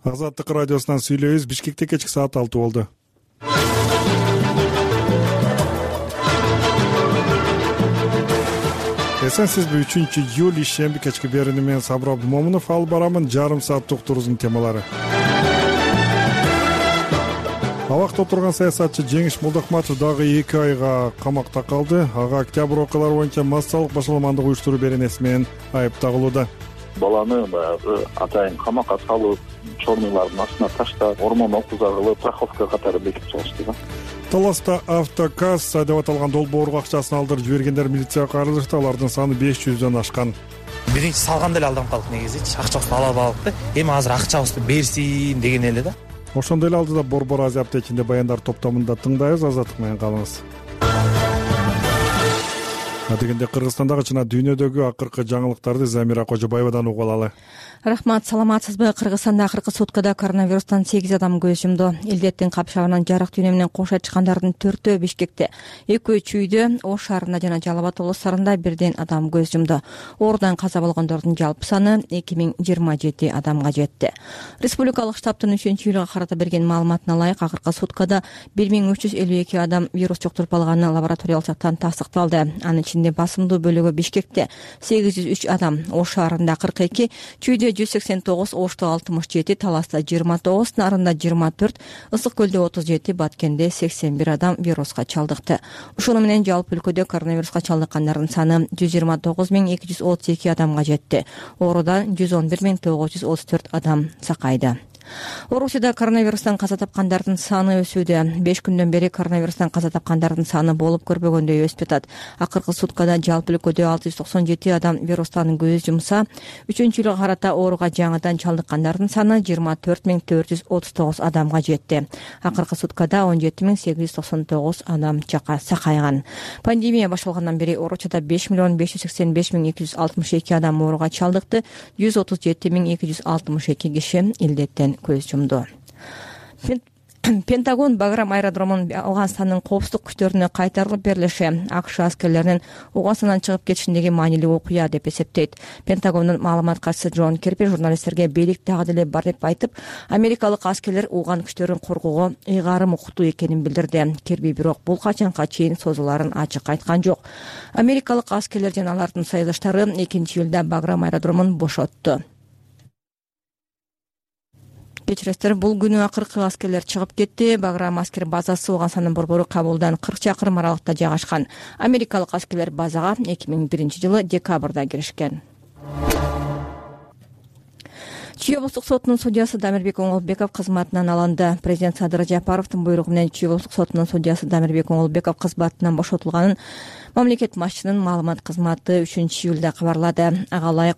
Азаттык радиосунан сүйлөйбүз. Бишкекте кечки саат 6 болду. Эсенсизби 3-июль ишемби кечки берүүнү мен Сабыр Абдумомунов алып барамын. Жарым сааттык туруздун темалары. Абакта отурган саясатчы Жеңиш Молдохматов дагы 2 айга камакта калды. Ага октябрь окуялары боюнча массалык башаламандык уюштуруу беренеси менен айыпталууда. Баланы баягы атайын камакка салып, чорныйлардын астына таштап, ормон окууза кылып, страховка катары бекитип салышты да. Таласта автокасса деп аталган долбоорго акчасын алдырып жибергендер милицияга кайрылышты. Алардын саны 500дөн ашкан. Биринчи салганда эле алданып калдык негизичи. Акчабызды алып алдык да. Эми азыр акчабызды берсин деген эле да. Ошондой эле алдыда Борбор Азия аптечинде баяндар топтомунда тыңдайбыз. Азаттык менен калыңыз. Дегенде Кыргызстандагы жана дүйнөдөгү акыркы жаңылыктарды Замира Кожобаевадан угуп алалы. Рахмат, саламатсызбы? Кыргызстанда акыркы суткада коронавирустан 8 адам көз жумду. Илдеттин капшабынан жарык дүйнө менен кошо чыккандардын 4-өө Бишкекте, 2-өө Чүйдө, Ош шаарында жана Жалал Абад облустарында бирден адам көз жумду. Оорудан каза болгондордун жалпы саны 2027 адамга жетти. Республикалык штабтын 3-июлга карата берген маалыматына ылайык, акыркы суткада 1352 адам вирус жуктуруп алганы лабораториялык жактан тастыкталды. Анын ичинде басымдуу бөлүгү Бишкекте 803 адам, Ош шаарында 42, Чүйдө 189, Ошто 67, Таласта 29, Нарында 24, Ысык көлдө 37, Баткенде 81 адам вируска чалдыкты. Ушуну менен жалпы өлкөдө коронавируска чалдыккандардын саны 129.232 адамга жетти. Оорудан 111.934 адам сакайды. Орусияда коронавирустан каза тапкандардын саны өсүүдө. 5 күндөн бери коронавирустан каза тапкандардын саны болуп көрбөгөндөй өсүп атат. Акыркы суткада жалпы өлкөдө 697 адам вирустан көз жумса, 3-июлга карата ооруга жаңыдан чалдыккандардын саны 24439 адамга жетти. Акыркы суткада 17899 адам сакайган. Пандемия башталгандан бери Орусияда 5.585.262 адам ооруга чалдыкты, 137.262 киши илдеттен көз жумду. Пентагон Баграм аэродромун Афганстандын коопсуздук күчтөрүнө кайтарылып берилиши АКШ аскерлеринин Афганистандан чыгып кетишиндеги маанилүү окуя деп эсептейт. Пентагондун маалымат катчысы Джон Кирби журналисттерге бийлик дагы деле бар деп айтып, америкалык аскерлер Афган күчтөрүн коргоого ыйгарым уктуу экенин билдирди. Кирби бирок бул качанга чейин созуларын ачык айткан жок. Америкалык аскерлер жана алардын союздаштары 2-июлда Баграм аэродромун бошотту. Кечиресиздер, бул күнү акыркы аскерлер чыгып кетти. Баграм аскер базасы Афганстандын борбору Кабулдан 40 чакырым аралыкта жайгашкан. Америкалык аскерлер базага 2001-жылы декабрда киришкен. Чүй облустук сотунун судьясы Дамирбек Оңолбеков кызматынан алынды. Президент Садыр Жапаровдун буйругу менен Чүй облустук сотунун судьясы Дамирбек Оңолбеков кызматынан бошотулганын мамлекет башчынын маалымат кызматы 3-июлда кабарлады. Ага ылайык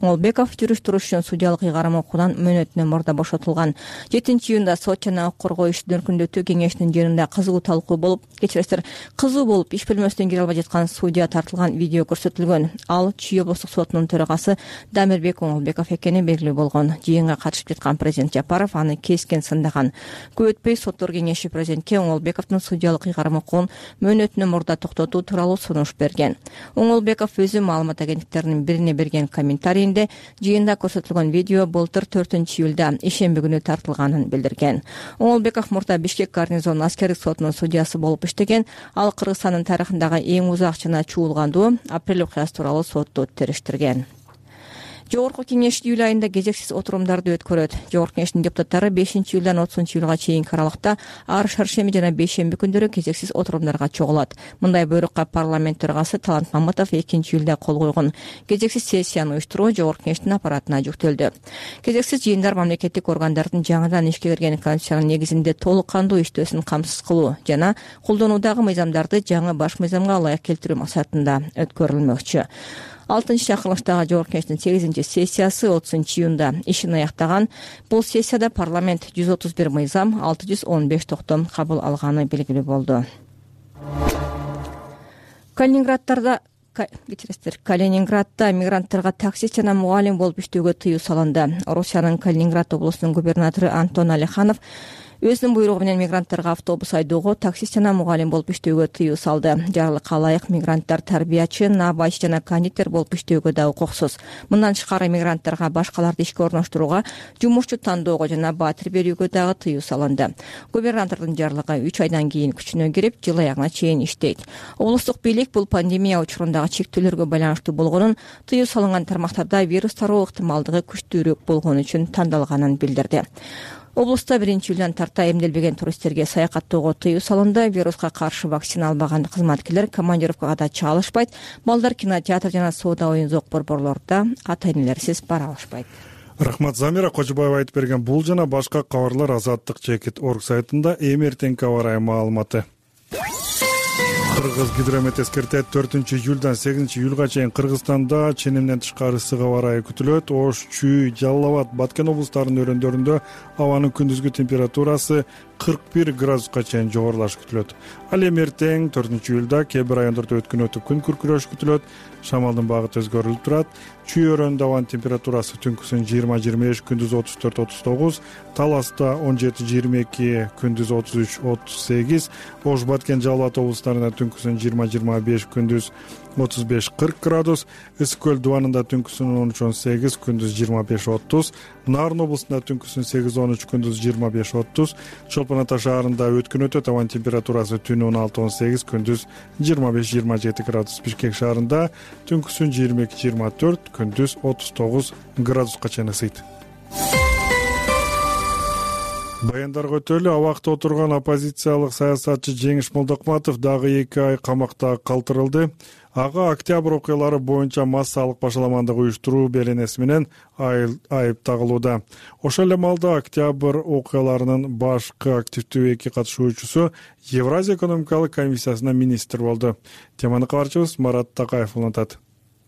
Оңолбеков жүрүш-туруш үчүн судьялык ыйгарым окуудан мөөнөтүнөн мурда бошотулган. 7-июнда сот жана укук коргоо иштин өркүндөтүү кеңешинин жыйынында кызуу талкуу болуп, кызуу болуп иш бөлмөсүнөн кире албай жаткан судья тартылган видео көрсөтүлгөн. Ал Чүй облустук сотунун төрагасы Дамирбек Оңолбеков экени белгилүү болгон. Жыйынга катышып жаткан президент Жапаров аны кескен сындаган. Көп өтпөй соттор кеңеши президентке Оңолбековдун судьялык ыйгарым окуун мөөнөтүнөн мурда токтотуу тууралуу сунуш берген. Оңолбеков өзү маалымат агенттиктеринин бирине берген комментарийинде жыйында көрсөтүлгөн видео былтыр 4-июлда ишемби күнү тартылганын билдирген. Оңолбеков мурда Бишкек гарнизон аскердик сотунун судьясы болуп иштеген. Ал Кыргызстандын тарыхындагы эң узак жана чуулгандуу апрель окуясы тууралуу сотто териштирген. Жогорку кеңеш июль айында кезексиз отурумдарды өткөрөт. Жогорку кеңештин депутаттары 5-июлдан 30-июлга чейинки аралыкта ар шаршемби жана бейшемби күндөрү кезексиз отурумдарга чогулат. Мындай буйрукка парламент төрагасы Талант Маматов 2-июлда кол койгон. Кезексиз сессияны уюштуруу жогорку кеңештин аппаратына жүктөлдү. Кезексиз жыйындар мамлекеттик органдардын жаңыдан ишке кирген конституциянын негизинде толук кандуу иштөөсүн камсыз кылуу жана колдонуудагы мыйзамдарды жаңы баш мыйзамга ылайык келтирүү максатында өткөрүлмөкчү. 6-чакырылыштагы жогорку кеңештин 8-сессиясы 30-июнда ишин аяктаган. Бул сессияда парламент 131 мыйзам, 615 токтом кабыл алганы белгилүү болду. Калининградда мигранттарга таксист жана мугалим болуп иштөөгө тыюу салынды. Орусиянын Калининград облусунун губернатору Антон Алиханов өзүнүн буйругу менен мигранттарга автобус айдоого, таксист жана мугалим болуп иштөөгө тыюу салды. Жарлыкка ылайык мигранттар тарбиячы, набайчы жана кондитер болуп иштөөгө да укуксуз. Мындан тышкары мигранттарга башкаларды ишке орноштурууга, жумушчу тандоого жана баатыр берүүгө дагы тыюу салынды. Губернатордун жарлыгы 3 айдан кийин күчүнө кирип, жыл аягына чейин иштейт. Облустук бийлик бул пандемия учурундагы чектөөлөргө байланыштуу болгонун, тыюу салынган тармактарда вирус тароо ыктымалдыгы күчтүүрөөк болгон үчүн тандалганын билдирди. Облуста 1-июлдан тарта эмделбеген туристтерге саякаттоого тыюу салынды. Вируска каршы вакцина албаган кызматкерлер командировкага да чыга алышпайт. Балдар кинотеатр жана соода оюн-зоок борборлордо ата-энелерсиз бара алышпайт. Рахмат, Замира Кожобаева айтып берген бул жана башка кабарлар Азаттык.org сайтында. Эми эртеңки аба ырайы маалыматы. Кыргыз гидромет эскертет, 4-июлдан 8-июлга чейин Кыргызстанда ченемден тышкары ысык аба ырайы күтүлөт. Ош, Чүй, Жалал Абад, Баткен облустарынын өрөөндөрүндө абанын күндүзгү температурасы 41 градуска чейин жогорулашы күтүлөт. Ал эми эртең 4-июлда кээ бир райондордо өткөн өтүп күн күркүрөш күтүлөт. Шамалдын багыты өзгөрүлүп турат. Чүй өрөөнүндө абанын температурасы түнкүсүн 20-25, күндүз 34-39, Таласта 17-22, күндүз 33-38, Ош, Баткен, Жалал Абад облустарында түнкүсүн 20-25, күндүз 35-40 градус, Ысык көл дубанында түнкүсүн 13-18, күндүз 25-30, Нарын облусунда түнкүсүн 8-13, күндүз 25-30, Чолпон Ата шаарында өткөн өтөт, абанын температурасы түнү 16-18, күндүз 25-27 градус, Бишкек шаарында түнкүсүн 22-24, күндүз 39 градуска чейин ысыйт. Баяндарга өтөлү. Абакта отурган оппозициялык саясатчы Жеңиш Молдокматов дагы 2 ай камакта калтырылды. Ага октябрь окуялары боюнча массалык башаламандык уюштуруу беренеси менен айып тагылууда. Ошол эле маалда октябрь окуяларынын башкы активдүү 2 катышуучусу Евразия экономикалык комиссиясына министр болду. Теманы кабарчыбыз Марат Такаев улантат.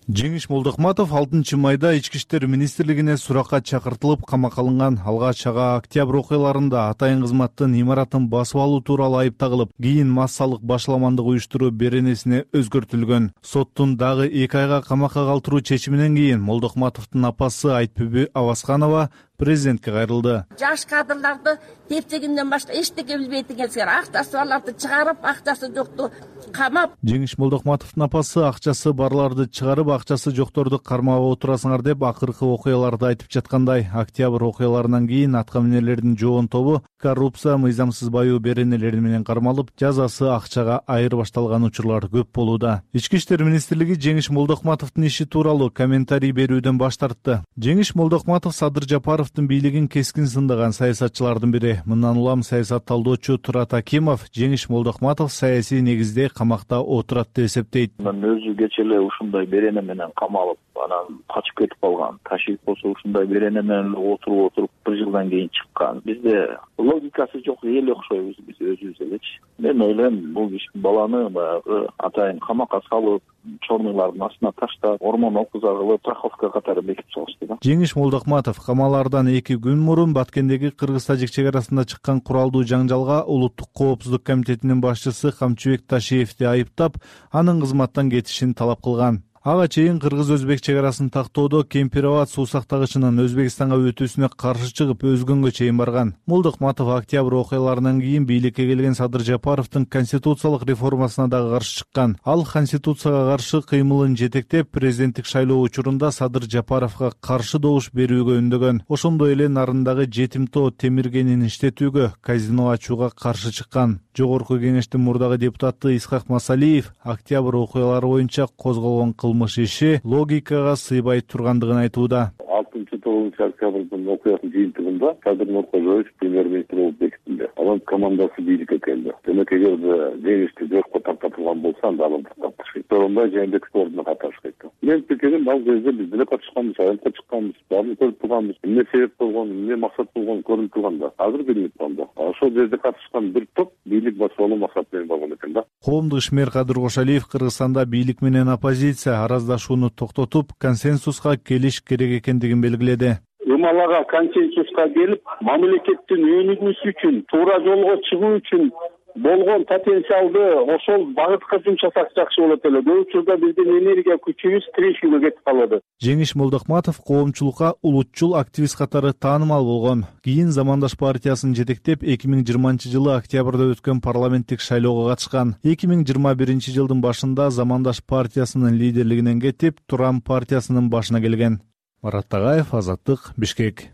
Жеңиш Молдокматов 6 майда Ички иштер министрлигине суракка чакыртылып камакка алынган. Алгач ага октябрь окуяларында атайын кызматтын имаратын басып алуу тууралуу айып тагылып, кийин массалык башаламандык уюштуруу беренесине өзгөртүлгөн. Соттун дагы 2 айга камакка калтыруу чечиминен кийин Молдокматовдун апасы Айтбүбү Авасканова президентке кайрылды. Жаш кадрларды тепчегинден башка эчтеке билбейт экенсиңер. Акчасы барларды чыгарып, акчасы жокту камап. Жеңиш Молдокматовдун апасы акчасы барларды чыгарып, акчасы жокторду кармап отурасыңар деп акыркы окуяларды айтып жаткандай. Октябрь окуяларынан кийин аткаминерлердин жоон тобу коррупция, мыйзамсыз баюу беренелери менен кармалып, жазасы акчага айырбашталган учурлар көп болууда. Ички иштер министрлиги Жеңиш Молдокматовдун иши тууралуу комментарий берүүдөн баш тартты. Жеңиш Молдокматов Садыр Жапаровдун бийлигин кескин сындаган саясатчылардын бири. Мындан улам саясат талдоочу Турат Акимов Жеңиш Молдокматов саясий негизде камакта отурат деп эсептейт. Өзү кече эле ушундай берене менен камалып, анан качып кетип калган. Ташиев болсо ушундай берене менен отуруп 1 жылдан кийин чыккан. Бизде логикасы жок эл окшойбуз биз өзүбүз элечи. Мен ойлойм, бул баланы баягы атайын камакка салып, чорныйлардын астына таштап, ормон окузагылы страховка катары бекитип салышты да. Жеңиш Молдокматов камалаардан 2 күн мурун Баткендеги кыргыз-тажик чек арасында чыккан куралдуу жаңжалга Улуттук коопсуздук комитетинин башчысы Камчыбек Ташиевди айыптап, анын кызматтан кетишин талап кылган. Ага чейин кыргыз-өзбек чек арасын тактоодо Кемпироват суу сактагычынын Өзбекстанга өтүүсүнө каршы чыгып, өзгөнгө чейин барган. Молдокматов октябрь окуяларынан кийин бийликке келген Садыр Жапаровдун конституциялык реформасына дагы каршы чыккан. Ал конституцияга каршы кыймылын жетектеп, президенттик шайлоо учурунда Садыр Жапаровго каршы добуш берүүгө үндөгөн. Ошондой эле Нарындагы жетимтоо темиргенин иштетүүгө, казино ачууга каршы чыккан. Жогорку кеңештин мурдагы депутаты Исхак Масалиев октябрь окуялары боюнча козголгон кылмыш иши логикага сыйбай тургандыгын айтууда. 6-9 октябрдын окуясынын жыйынтыгында Кадыр Нуркожоевич премьер-министр болуп бекитилди. Анын командасы бийликке келди. Демек эгерде Жеңишти жокко тартылган болсо, анда алып тартышпайт. Торонбай Жээнбековдун ордуна катышпайт. Мен пикирим, ал кезде биз деле катышканбыз, айылга чыкканбыз, баарын көрүп турганбыз. Эмне себеп болгон, эмне максат болгон көрүнүп турганда. Азыр билинип турганда. Ошол жерде катышкан бир топ бийлик басып алуу максат менен болгон экен да. Коомдук ишмер Кадыр Кошалиев Кыргызстанда бийлик менен оппозиция араздашууну токтотуп, консенсуска келиш керек экендигин белгиледи. Умалага консенсуска келип, мамлекеттин өнүгүүсү үчүн, туура жолго чыгуу үчүн болгон потенциалды ошол багытка жумшасак жакшы болот эле. Көп учурда биздин энергия күчүбүз тирешүүгө кетип калады. Жеңиш Молдохматов коомчулукка улутчул активист катары таанымал болгон. Кийин Замандаш партиясын жетектеп 2020-жылы октябрда өткөн парламенттик шайлоого катышкан. 2021-жылдын башында Замандаш партиясынын лидерлигинен кетип, Турам партиясынын башына келген. Марат Тагаев, Азаттык, Бишкек.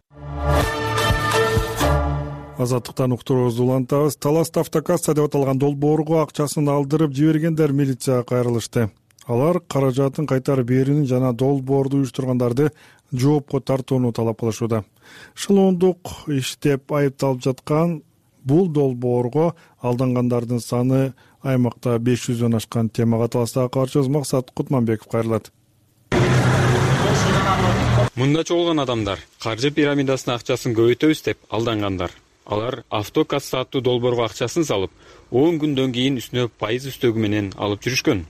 Азаттыктан уктуруубузду улантабыз. Таласта автокасса деп аталган долбоорго акчасын алдырып жибергендер милицияга кайрылышты. Алар каражатын кайтарып берүүнү жана долбоорду уюштургандарды жоопко тартууну талап кылышууда. Шылуундук иштеп айыпталып жаткан бул долбоорго алдангандардын саны аймакта 500дөн ашкан. Темага таластагы кабарчыбыз Максат Кутманбеков кайрылат. Мында чогулган адамдар каржы пирамидасына акчасын көбөйтөбүз деп алдангандар. Алар автокасса аттуу долбоорго акчасын салып, 10 күндөн кийин үстүнө пайыз үстөгү менен алып жүрүшкөн.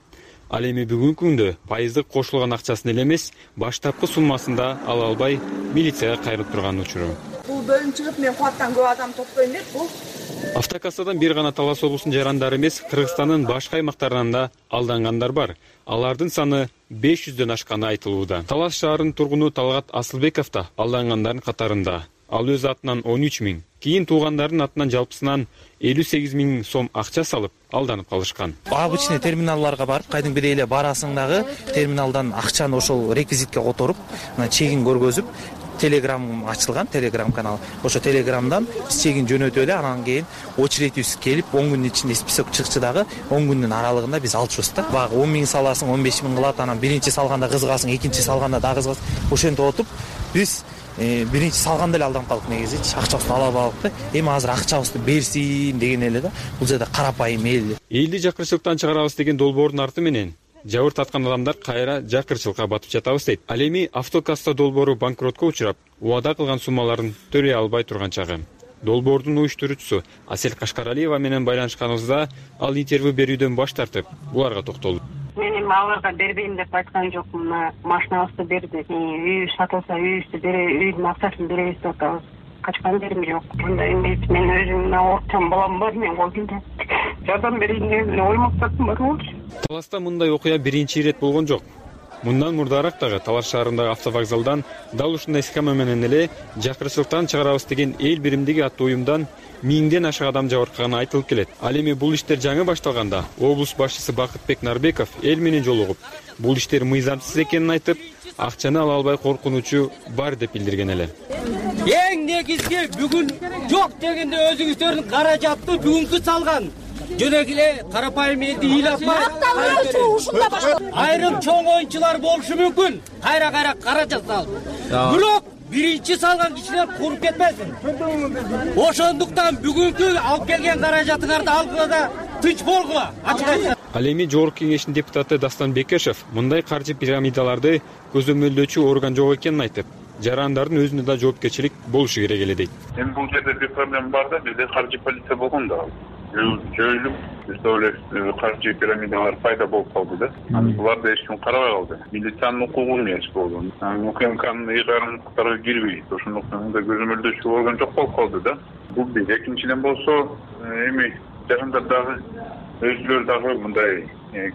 Ал эми бүгүнкү күндө пайыздык кошулган акчасын эле эмес, баштапкы суммасында ала албай милицияга кайрылып турган учуру. Бул бөлүм чыгып, мен кулаттан көп адам топтойм деп бул. Автокассадан бир гана Талас облусунун жарандары эмес, Кыргызстандын башка аймактарынан да алдангандар бар. Алардын саны 500дөн ашканы айтылууда. Талас шаарынын тургуну Талгат Асылбеков да алдангандардын катарында. Ал өз атынан 13 000, кийин туугандардын атынан жалпысынан 58 000 сом акча салып алданып калышкан. Обычный терминалдарга барып, кайдыгыдай эле барасың дагы терминалдан акчаны ошол реквизитке которуп, чегин көргөзүп, Telegram ачылган, Telegram канал. Ошо Telegramдан биз чегин жөнөтүп эле, анан кийин очередибиз келип, 10 күндүн ичинде список чыкчы дагы 10 күндүн аралыгында биз алышыбыз да. Багы 10 000 саласың, 15 000 кылат, анан биринчи салганда кызыгасың, экинчи салганда да кызыгасың. Ошентип отуп биз биринчи салганда эле алданып калдык негизи. Акчабызды ала алдык да. Эми азыр акчабызды берсин деген эле да. Бул жерде карапайым эл. Элди жакырчылыктан чыгарабыз деген долбоордун арты менен жабыр таткан адамдар кайра жакырчылыкка батып жатабыз дейт. Ал эми автокасса долбоору банкротко учурап, убада кылган суммаларын төлөй албай турган чагы. Долбоордун уюштуруучусу Асель Кашкаралиева менен байланышканыбызда ал интервью берүүдөн баш тартып, буларга токтолду. Мен эми аларга бербейм деп айткан жокмун. Машинабызды берди. Үй сатылса үйүбүздү үйдүн акчасын беребиз деп атабыз. Качкан жерим жок. Мындай эмес, мен өзүм орчон балам бар, мен колумда жардам берейин деген ой максатым бар болчу. Таласта мындай окуя биринчи ирет болгон жок. Мындан мурдараак дагы Талас шаарындагы автовокзалдан дал ушундай схема менен эле жакырчылыктан чыгарабыз деген эл биримдиги аттуу уюмдан 1000ден ашык адам жабыркаганы айтылып келет. Ал эми бул иштер жаңы башталганда облус башчысы Бакытбек Нарбеков эл менен жолугуп, бул иштер мыйзамсыз экенин айтып, акчаны ала албай коркунучу бар деп билдирген эле. Эң негизги бүгүн жок дегенде өзүңүздөрдүн каражатты бүгүнкү салган. Жөнөк эле карапайым элди ыйлапмай. Айрым чоң оюнчулар болушу мүмкүн. Кайра каражат салып. Бирок биринчи салган кишилер куруп кетпесин. Ошондуктан бүгүнкү алып келген каражатыңарды алгыла да тынч болгула. Ал эми Жогорку кеңештин депутаты Дастан Бекешев мындай каржы пирамидаларды көзөмөлдөөчү орган жок экенин айтып, жарандардын өзүнө да жоопкерчилик болушу керек эле дейт. Эми бул жерде бир проблема бар да, бизде каржы полиция болгон да. Жойулуп, бизде эле каржы пирамидалар пайда болуп калды да. Буларды эч ким карабай калды. Милициянын укугу эмес болгон. УКМКнын ыйгарымдыктарга кирбейт. Ошондуктан мындай көзөмөлдөөчү орган жок болуп калды да. Бул бир. Экинчиден болсо, эми жарандар дагы өзүлөрү дагы мындай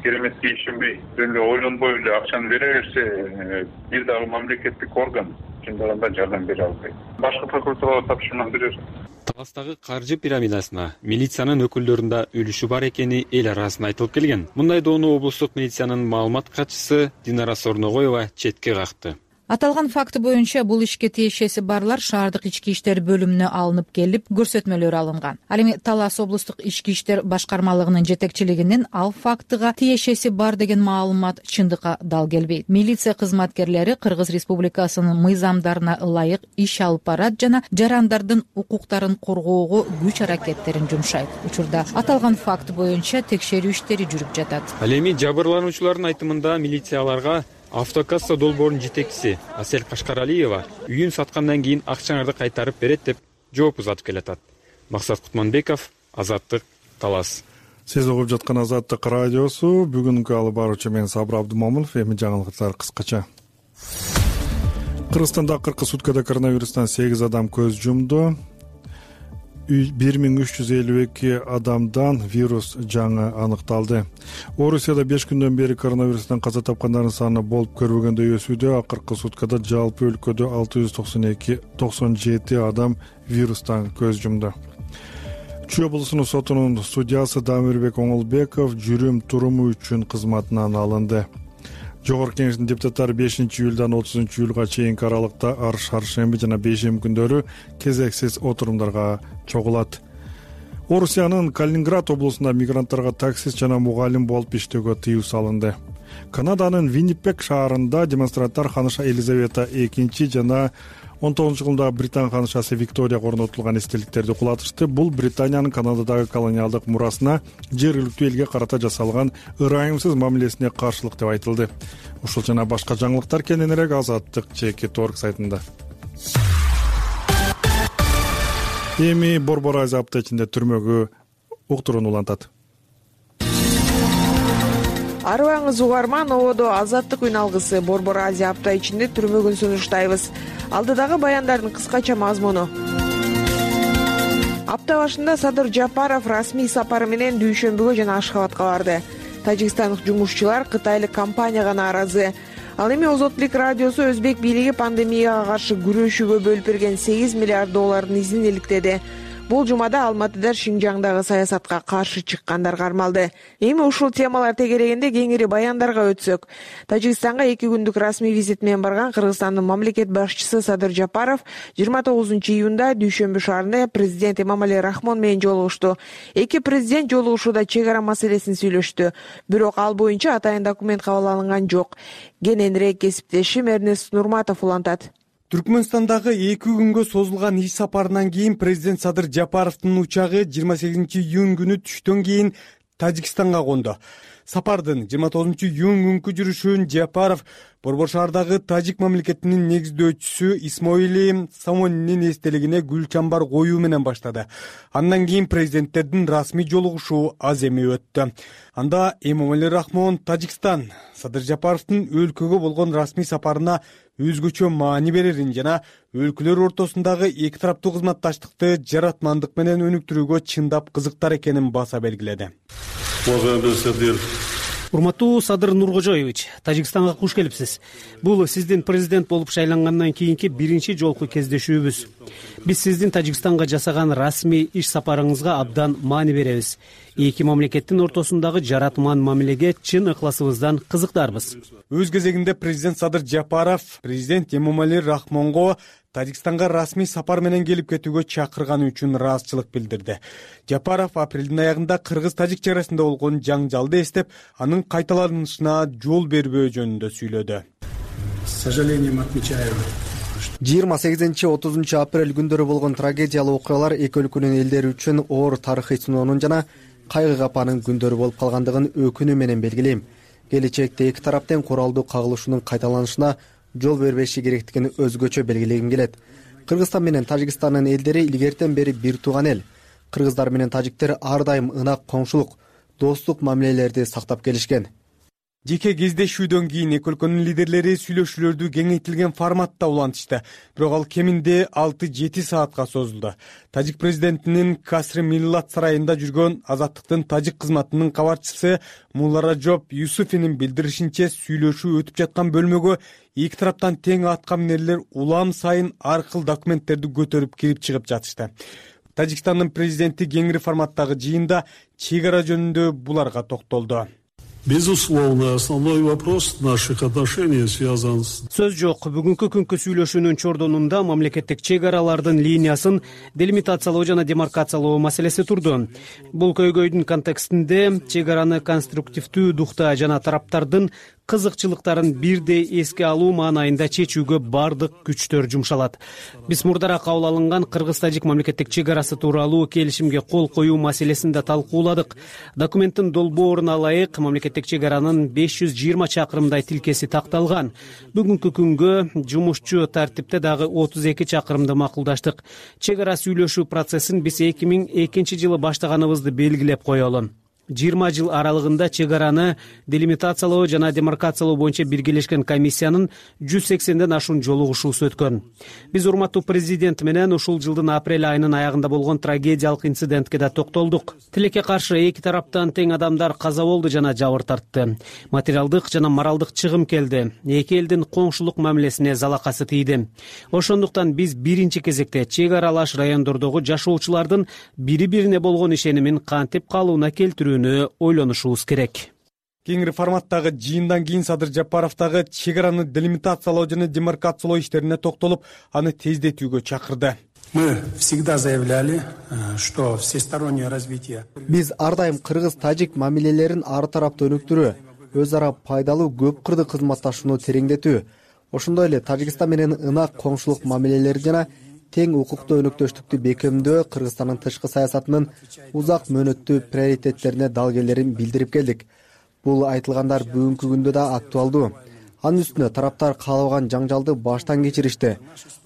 кереметке ишенбей, эле ойлонбой эле акчаны бере берсе, бир дагы мамлекеттик орган чындыгында жардам бере албайт. Башка прокуратурага тапшырма берер. Таластагы каржы пирамидасына милициянын өкүлдөрүндө үлүшү бар экени эл арасында айтылып келген. Мындай доону облустук милициянын маалымат катчысы Динара Сорногоева четке какты. Аталган факты боюнча бул ишке тиешеси барлар шаардык ички иштер бөлүмүнө алынып келип, көрсөтмөлөр алынган. Ал эми Талас облустук ички иштер башкармалыгынын жетекчилигинен ал фактыга тиешеси бар деген маалымат чындыкка дал келбейт. Милиция кызматкерлери Кыргыз Республикасынын мыйзамдарына ылайык иш алып барат жана жарандардын укуктарын коргоого күч аракеттерин жумшайт. Учурда аталган факт боюнча текшерүү иштери жүрүп жатат. Ал эми жабырлануучулардын айтымында милиция аларга автокасса долбоорунун жетекчиси Асель Кашкаралиева үйүн саткандан кийин акчаңарды кайтарып берет деп жооп узатып келатат. Максат Кутманбеков, Азаттык, Талас. Сиз угуп жаткан Азаттык радиосу. Бүгүнкү алып баруучу мен Сабыр Абдумомунов. Эми жаңылыктар кыскача. Кыргызстанда акыркы суткада коронавирустан 8 адам көз жумду. 1352 адамдан вирус жаңы аныкталды. Орусияда 5 күндөн бери коронавирустан каза тапкандардын саны болуп көрбөгөндөй өсүүдө. Акыркы суткада жалпы өлкөдө 697 адам вирустан көз жумду. Чүй облусунун сотунун судьясы Дамирбек Оңолбеков жүрүм туруму үчүн кызматынан алынды. Жогорку Кеңештин депутаттары 5-июлдан 30-июлга чейинки аралыкта шаршемби жана бейшемби күндөрү кезексиз отурумдарга чогулат. Орусиянын Калининград облусунда мигранттарга таксист жана мугалим болуп иштөөгө тыюу салынды. Канаданын Виннипег шаарында демонстранттар ханыша Елизавета II жана 19-жылда Британ ханышасы Викторияга орнотулган эстеликтерди кулатышты. Бул Британиянын Канададагы колониалдык мурасына жергиликтүү элге карата жасалган ырайымсыз мамилесине каршылык деп айтылды. Ушул жана башка жаңылыктар кененирээк Азаттык Чекит.org сайтында. Эми Борбор Азия апта ичинде түрмөгө уктурууну улантат. Арыбаңыз угарман, ободо Азаттык үн алгысы Борбор Азия апта ичинде түрмөгүн сунуштайбыз. Алдыдагы баяндардын кыскача мазмуну. Апта башында Садыр Жапаров расмий сапары менен Дүйшөмбүгө жана Ашхабадка барды. Тажикстандык жумушчулар кытайлык компанияга нааразы. Ал эми Озотлук радиосу өзбек бийлиги пандемияга каршы күрөшүүгө бөлүп берген 8 миллиард доллардын изин иликтеди. Бул жумада Алматыда Шинжаңдагы саясатка каршы чыккандар кармалды. Эми ушул темалар тегерегинде кеңири баяндарга өтсөк. Тажикстанга 2 күндүк расмий визит менен барган Кыргызстандын мамлекет башчысы Садыр Жапаров 29-июнда Дүйшөмбү шаарында президент Эмомали Рахмон менен жолугушту. Эки президент жолугушууда чек ара маселесин сүйлөштү. Бирок ал боюнча атайын документ кабыл алынган жок. Кененирээк кесиптешим Эрнест Нурматов улантат. Түркмөнстандагы 2 күнгө созулган иш сапарынан кийин президент Садыр Жапаровдун учагы 28-июнь күнү түштөн кийин Тажикстанга конду. Сапардын 29-июнь күнкү жүрүшүн Жапаров Борбор шаардагы тажик мамлекетинин негиздөөчүсү Исмоили Самонинин эстелигине гүл чамбар коюу менен баштады. Андан кийин президенттердин расмий жолугушуу аз эми өттү. Анда Эмомали Рахмон Тажикстан Садыр Жапаровдун өлкөгө болгон расмий сапарына өзгөчө маани берерин жана өлкөлөр ортосундагы эки тараптуу кызматташтыкты жаратмандык менен өнүктүрүүгө чындап кызыктар экенин баса белгиледи. Урматтуу Садыр Нуркожоевич, Тажикстанга куш келипсиз. Бул сиздин президент болуп шайлангандан кийинки биринчи жолку кездешүүбүз. Биз сиздин Тажикстанга жасаган расмий иш сапарыңызга абдан маани беребиз. Эки мамлекеттин ортосундагы жаратман мамилеге чын ыкласыбыздан кызыктарбыз. Өз кезегинде президент Садыр Жапаров президент Эмомали Рахмонго Тажикстанга расмий сапар менен келип кетүүгө чакырганы үчүн ыраазычылык билдирди. Жапаров апрелдин аягында кыргыз-тажик чек арасында болгон жаңжалды эстеп, анын кайталанышына жол бербөө жөнүндө сүйлөдү. 28-30 апрель күндөрү болгон трагедиялуу окуялар эки өлкөнүн элдери үчүн оор тарыхый сыноонун жана кайгы капанын күндөрү болуп калгандыгын өкүнүү менен белгилейм. Келечекте эки тараптын куралдуу кагылышуунун кайталанышына жол бербеши керектигин өзгөчө белгилегим келет. Кыргызстан менен Тажикстандын элдери илгертен бери бир тууган эл. Кыргыздар менен тажиктер ар дайым ынак коңшулук, достук мамилелерди сактап келишкен. Жеке кездешүүдөн кийин эки өлкөнүн лидерлери сүйлөшүүлөрдү кеңейтилген форматта улантышты. Бирок ал кеминде 6-7 саатка созулду. Тажик президентинин Касры Миллат сарайында жүргөн Азаттыктын тажик кызматынын кабарчысы Мулларажоп Юсуфинин билдиришинче, сүйлөшүү өтүп жаткан бөлмөгө эки тараптан тең атка минерлер улам сайын ар кыл документтерди көтөрүп кирип чыгып жатышты. Тажикстандын президенти кеңири форматтагы жыйында чек ара жөнүндө буларга токтолду. Безусловно, основной вопрос наших отношений связан с... Сөз жок, бүгүнкү күнкү сүйлөшүүнүн чордонунда мамлекеттик чек аралардын линиясын делимитациялоо жана демаркациялоо маселеси турду. Бул көйгөйдүн контекстинде чек араны конструктивдүү духта жана тараптардын кызыкчылыктарын бирдей эске алуу маанайында чечүүгө бардык күчтөр жумшалат. Биз мурдараак кабыл алынган кыргыз-тажик мамлекеттик чек арасы тууралуу келишимге кол коюу маселесин да талкууладык. Документтин долбооруна ылайык мамлекеттик чек аранын 520 чакырымдай тилкеси такталган. Бүгүнкү күнгө жумушчу тартипте дагы 32 чакырымды макулдаштык. Чек ара сүйлөшүү процессин биз 2002 жылы баштаганыбызды белгилеп коелу. 20 жыл аралыгында чек араны делимитациялоо жана демаркациялоо боюнча биргелешкен комиссиянын 180ден ашуун жолугушуусу өткөн. Биз урматтуу президент менен ушул жылдын апрель айынын аягында болгон трагедиялык инцидентке да токтолдук. Тилекке каршы эки тараптан тең адамдар каза болду жана жабыр тартты. Материалдык жана моралдык чыгым келди. Эки элдин коңшулук мамилесине залакасы тийди. Ошондуктан биз биринчи кезекте чек аралаш райондордогу жашоочулардын бири-бирине болгон ишенимин кантип калыбына келтирүүнү ойлонушубуз керек. Кеңири форматтагы жыйындан кийин Садыр Жапаров дагы чек араны делимитациялоо жана демаркациялоо иштерине токтолуп, аны тездетүүгө чакырды. Мы всегда заявляли, что всестороннее развитие. Биз ар дайым кыргыз-тажик мамилелерин ар тараптуу өнүктүрүү, өз ара пайдалуу көп кырды кызматташууну тереңдетүү, ошондой эле Тажикстан менен ынак коңшулук мамилелери жана тең укуктуу өнөктөштүктү бекемдөө Кыргызстандын тышкы саясатынын узак мөөнөттүү приоритеттерине далгелерин билдирип келдик. Бул айтылгандар бүгүнкү күндө да актуалдуу. Анын үстүнө тараптар каалабаган жаңжалды баштан кечиришти.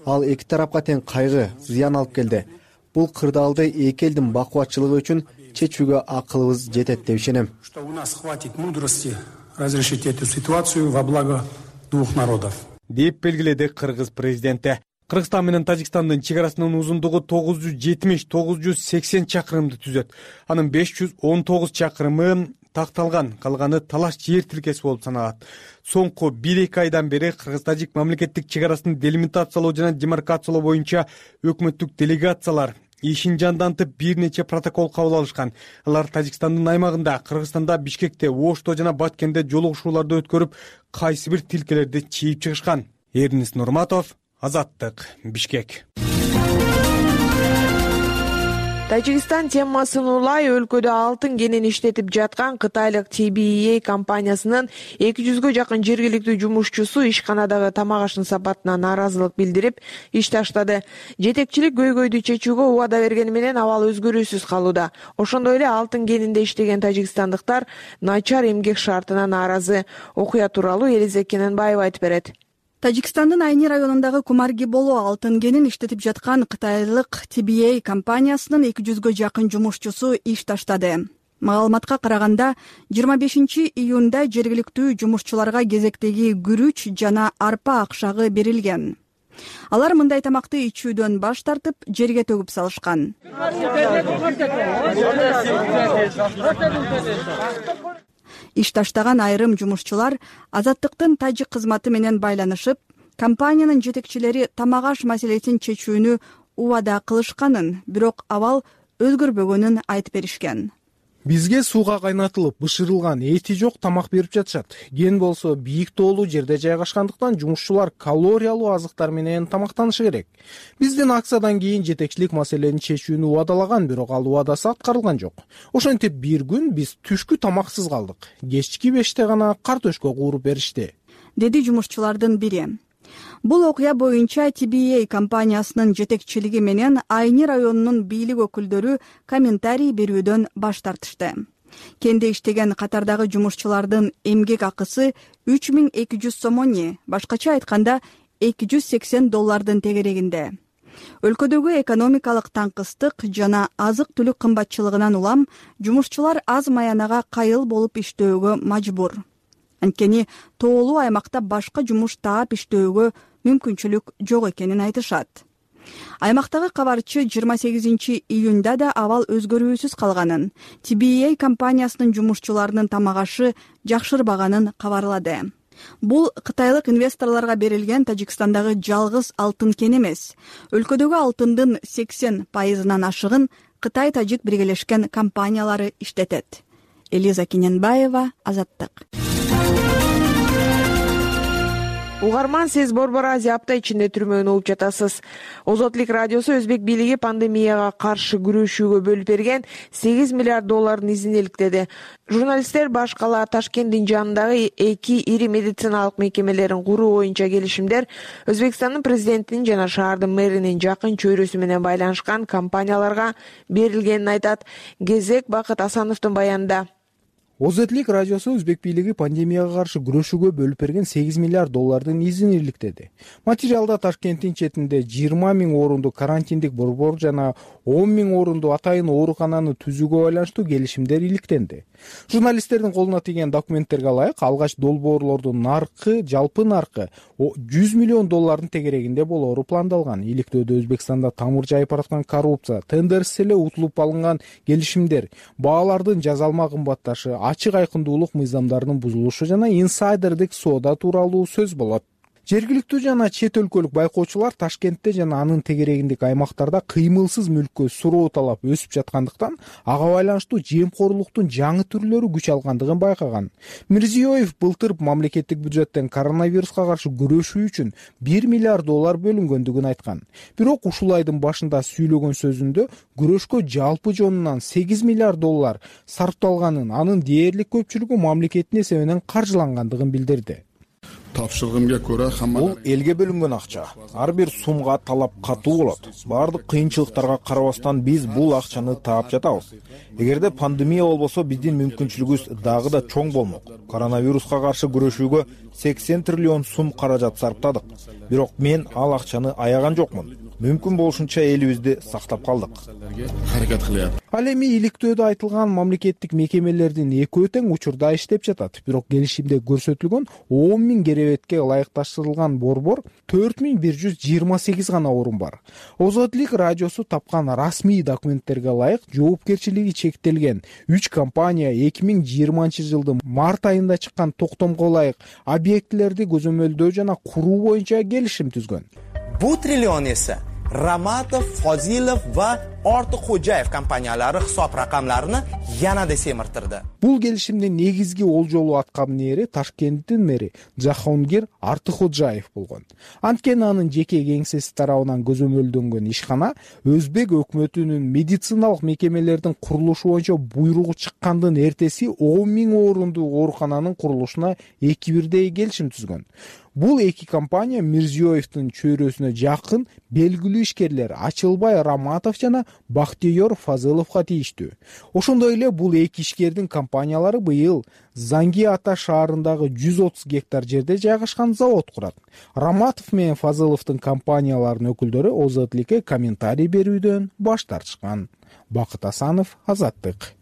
Ал эки тарапка тең кайгы, зыян алып келди. Бул кырдаалды эки элдин бакубатчылыгы үчүн чечүүгө акылыбыз жетет деп ишенем. Что у нас хватит мудрости разрешить эту ситуацию во благо двух народов. Деп белгиледи кыргыз президенти. Кыргызстан менен Тажикстандын чек арасынын узундугу 970-980 чакырымды түзөт. Анын 519 чакырымы такталган, калганы талаш жер тилкеси болуп саналат. Соңку 1-2 айдан бери Кыргыз-Тажик мамлекеттик чек арасын делимитациялоо жана демаркациялоо боюнча өкмөттүк делегациялар ишин жандантып бир нече протокол кабыл алышкан. Алар Тажикстандын аймагында, Кыргызстанда, Бишкекте, Ошто жана Баткенде жолугушууларды өткөрүп, кайсы бир тилкелерди чийип чыгышкан. Эрнис Нурматов, Азаттык, Бишкек. Тажикстан темасын улай өлкөдө алтын кенин иштетип жаткан кытайлык TBA компаниясынын 200гө жакын жергиликтүү жумушчусу ишканадагы тамак аштын сапатына нааразылык билдирип, иш таштады. Жетекчилик көйгөйдү чечүүгө убада бергени менен абал өзгөрүүсүз калууда. Ошондой эле алтын кенинде иштеген тажикстандыктар начар эмгек шартына нааразы. Окуя тууралуу Элиза Кененбаева айтып берет. Тажикстандын Айни районундагы Кумарги-Боло алтын кенин иштетип жаткан кытайлык TBA компаниясынын 200гө жакын жумушчусу иш таштады. Маалыматка караганда 25 июнда жергиликтүү жумушчуларга кезектеги күрүч жана арпа акчагы берилген. Алар мындай тамакты ичүүдөн баш тартып, жерге төгүп салышкан. Иш таштаган айрым жумушчулар Азаттыктын тажик кызматы менен байланышып, компаниянын жетекчилери тамак аш маселесин чечүүнү убада кылышканын, бирок абал өзгөрбөгөнүн айтып беришкен. Бизге сууга кайнатылып, бышырылган эти жок тамак берип жатышат. Ген болсо бийик тоолуу жерде жайгашкандыктан жумушчулар калориялуу азыктар менен тамактанышы керек. Биздин акциядан кийин жетекчилик маселени чечүүнү убадалаган, бирок ал убадасы аткарылган жок. Ошентип бир күн биз түшкү тамаксыз калдык. Кечки 5те гана картөшкө кууруп беришти, деди жумушчулардын бири. Бул окуя боюнча TBA компаниясынын жетекчилиги менен Айни районунун бийлик өкүлдөрү комментарий берүүдөн баш тартышты. Кенде иштеген катардагы жумушчулардын эмгек акысы 3200 сомони, башкача айтканда $280 тегерегинде. Өлкөдөгү экономикалык таңкыстык жана азык-түлүк кымбатчылыгынан улам жумушчулар аз маянага кайыл болуп иштөөгө мажбур. Анткени тоолуу аймакта башка жумуш таап иштөөгө мүмкүнчүлүк жок экенин айтышат. Аймактагы кабарчы 28 июнда да абал өзгөрүүсүз калганын, TBA компаниясынын жумушчуларынын тамак ашы жакшырбаганын кабарлады. Бул кытайлык инвесторлорго берилген Тажикстандагы жалгыз алтын кен эмес. Өлкөдөгү алтындын 80%-нан ашыгын Кытай-Тажик биргелешкен компаниялары иштетет. Элиза Кененбаева, Азаттык. Угарман, сиз Борбор Азия апта ичинде түрмөгүн угуп жатасыз. Озотлук радиосу өзбек бийлиги пандемияга каршы күрөшүүгө бөлүп берген $8 миллиард изин иликтеди. Журналисттер башкала Ташкенттин жанындагы эки ири медициналык мекемелерин куруу боюнча келишимдер Өзбекстандын президентинин жана шаардын мэринин жакын чөйрөсү менен байланышкан компанияларга берилгенин айтат. Кезек Бакыт Асановдун баянында. Озотлик радиосу өзбек бийлиги пандемияга каршы күрөшүүгө бөлүп берген 8 миллиард доллардын изин иликтеди. Материалда Ташкенттин четинде 20 000 орунду карантиндик борбор жана 10 000 орунду атайын оорукананы түзүүгө байланыштуу келишимдер иликтенди. Журналисттердин колуна тийген документтерге ылайык, алгач долбоорлордун наркы, жалпы наркы 100 миллион доллардын тегерегинде болоору пландалган. Иликтөөдө Өзбекстанда тамыр жайып бараткан коррупция, тендерсиз эле утулуп алынган келишимдер, баалардын жазалма кымбатташы, ачык айкындуулук мыйзамдарынын бузулушу жана инсайдердик соода тууралуу сөз болот. Жергиликтүү жана чет өлкөлүк байкоочулар Ташкентте жана анын тегерегиндеги аймактарда кыймылсыз мүлккө суроо талап өсүп жаткандыктан ага байланыштуу жемкорлуктун жаңы түрлөрү күч алгандыгын байкаган. Мирзиёев былтыр мамлекеттик бюджеттен коронавируска каршы күрөшүү үчүн 1 миллиард доллар бөлүнгөндүгүн айткан. Бирок ушул айдын башында сүйлөгөн сөзүндө күрөшкө жалпы жонунан 8 миллиард доллар сарпталганын, анын дээрлик көпчүлүгү мамлекеттин эсебинен каржылангандыгын билдирди. Бул элге бөлүнгөн акча. Ар бир сумга талап катуу болот. Баардык кыйынчылыктарга карабастан биз бул акчаны таап жатабыз. Эгерде пандемия болбосо биздин мүмкүнчүлүгүбүз дагы да чоң болмок. Коронавируска каршы күрөшүүгө 80 триллион сум каражат сарптадык. Бирок мен ал акчаны аяган жокмун. Мүмкүн болушунча элибизди сактап калдык. Ал эми иликтөөдө айтылган мамлекеттик мекемелердин экөө тең учурда иштеп жатат. Бирок келишимде көрсөтүлгөн 10 000 керебетке ылайыкташтырылган борбор 4128 гана орун бар. Озотлик радиосу тапкан расмий документтерге ылайык, жоопкерчилиги чектелген 3 компания 2020 жылдын март айында чыккан токтомго ылайык объектилерди көзөмөлдөө жана куруу боюнча келишим түзгөн. Bu trillion esa Ramatov, Fozilov va Ortiqxo'jayev kompaniyalari hisob raqamlarini yanada semirtirdi. Бул келишимдин негизги олжолуу аткаминери Ташкенттин мэри Жахонгир Артыкхожаев болгон. Анткени анын жеке кеңсеси тарабынан көзөмөлдөнгөн ишкана Өзбек өкмөтүнүн медициналык мекемелердин курулушу боюнча буйругу чыккандын эртеси 10 000 орунду оорукананын курулушуна 2-1 келишим түзгөн. Бул эки компания Мирзиёевдин чөйрөсүнө жакын белгилүү ишкерлер Ачылбай Раматов жана Бактыйор Фазыловго тийиштүү. Ошондой эле бул эки ишкердин компаниялары быйыл Занги Ата шаарындагы 130 гектар жерде жайгашкан завод курат. Раматов менен Фазыловдун компанияларынын өкүлдөрү Озотликке комментарий берүүдөн баш тартышкан. Бакыт Асанов, Азаттык.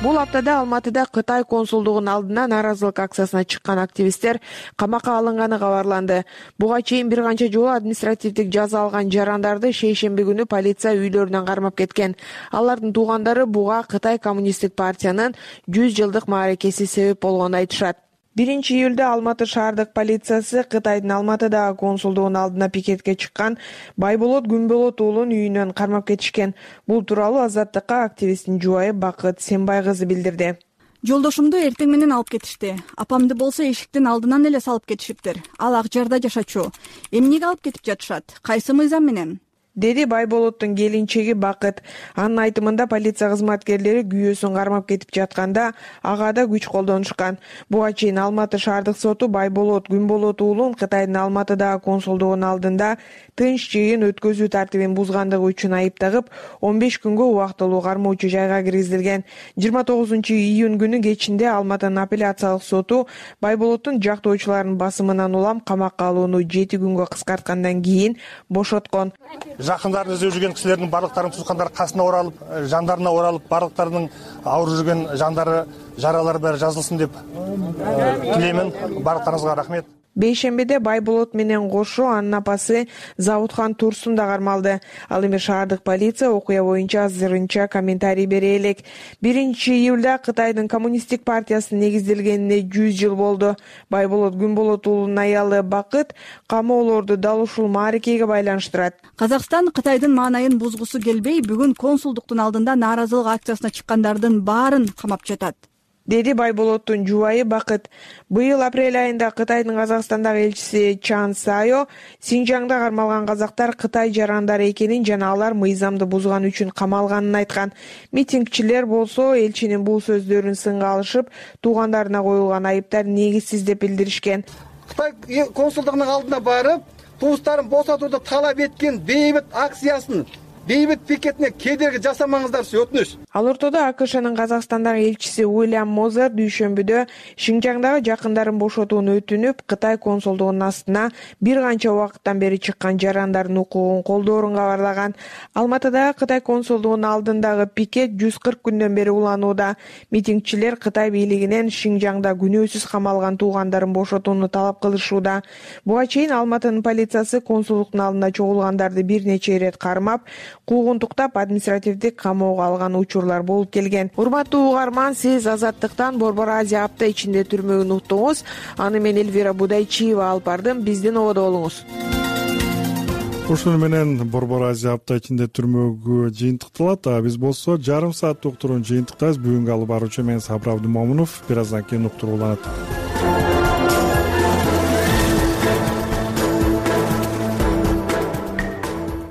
Бул аптада Алматыда Кытай консулдугунун алдына нааразылык акциясына чыккан активисттер камакка алынганы кабарланды. Буга чейин бир канча жолу административдик жаза алган жарандарды шейшемби күнү полиция үйлөрүнөн кармап кеткен. Алардын туугандары буга Кытай коммунисттик партиянын 100 жылдык мааракеси себеп болгонун айтышат. 1-июлда Алматы шаардык полициясы Кытайдын Алматыдагы консулдугунун алдына пикетке чыккан Байболот Күнболот уулун үйүнөн кармап кетишкен. Бул тууралуу Азаттыкка активисттин жубайы Бакыт Сембай кызы билдирди. Жолдошумду эртең менен алып кетишти. Апамды болсо эшиктин алдынан эле салып кетишиптир. Ал ак жарда жашачу. Эмнеге алып кетип жатышат? Кайсы мыйзам менен? Деди Байболоттун келинчеги Бакыт. Анын айтымында полиция кызматкерлери күйөөсүн кармап кетип жатканда ага да күч колдонушкан. Буга чейин Алматы шаардык соту Байболот Күнболот уулун Кытайдын Алматыдагы консулдугунун алдында тынч жыйын өткөзүү тартибин бузгандыгы үчүн айыптагып, 15 күнгө убактылуу кармоочу жайга киргизилген. 29-июнь күнү кечинде Алматынын апелляциялык соту Байболоттун жактоочуларынын басымынан улам камакка алууну 7 күнгө кыскарткандан кийин бошоткон. Жакындарын издеп жүрген кишилердин барлыктарын туткандар касына оралып, жандарына оралып, барлыктарынын ауыр жүрген жандары, жаралары баары жазылсын деп тилеймин. Барлыктарыңызга рахмет. Бейшембиде Байболот менен кошо анын апасы Завутхан Турсун да кармалды. Ал эми шаардык полиция окуя боюнча азырынча комментарий бере элек. 1-июлда Кытайдын коммунисттик партиясынын негизделгенине 100 жыл болду. Байболот Күнболот уулунун аялы Бакыт камоолорду дал ушул мааракеге байланыштырат. Казакстан Кытайдын маанайын бузгусу келбей, бүгүн консулдуктун алдында нааразылык акциясына чыккандардын баарын камап жатат. Деди Байболоттун жубайы Бакыт. Быйыл апрель айында Кытайдын Казакстандагы элчиси Чан Сайо Синжаңда кармалган казактар Кытай жарандары экенин жана алар мыйзамды бузган үчүн камалганын айткан. Митингчилер болсо элчинин бул сөздөрүн сынга алышып, туугандарына коюлган айыптар негизсиз деп билдиришкен. Кытай консулдугунун алдына барып, туустарын босотууну талап эткен бейбит акциясын бейбит пикетине кедерги жасамаңыздарчы, өтүнүч. Ал ортодо АКШнын Казакстандагы элчиси Уильям Мозер дүйшөмбүдө Шинжаңдагы жакындарын бошотууну өтүнүп, Кытай консулдугунун астына бир канча убакыттан бери чыккан жарандардын укугун колдоорун кабарлаган. Алматыдагы Кытай консулдугунун алдындагы пикет 140 күндөн бери уланууда. Митингчилер Кытай бийлигинен Шинжаңда күнөөсүз камалган туугандарын бошотууну талап кылышууда. Буга чейин Алматынын полициясы консулдуктун алдында чогулгандарды бир нече ирет кармап, куугунтуктап административдик камоого алган учурлар болуп келген. Урматтуу угарман, сиз Азаттыктан Борбор Азия апта ичинде түрмөгүн уктуңуз. Аны мен Эльвира Будайчиева алып бардым. Биздин ободо болуңуз. Ушуну менен Борбор Азия апта ичинде түрмөгү жыйынтыкталат. Биз болсо жарым сааттык уктуруун жыйынтыктайбыз. Бүгүнкү алып баруучу мен Сабыр Абдымомунов. Бир аздан кийин уктуруу уланат.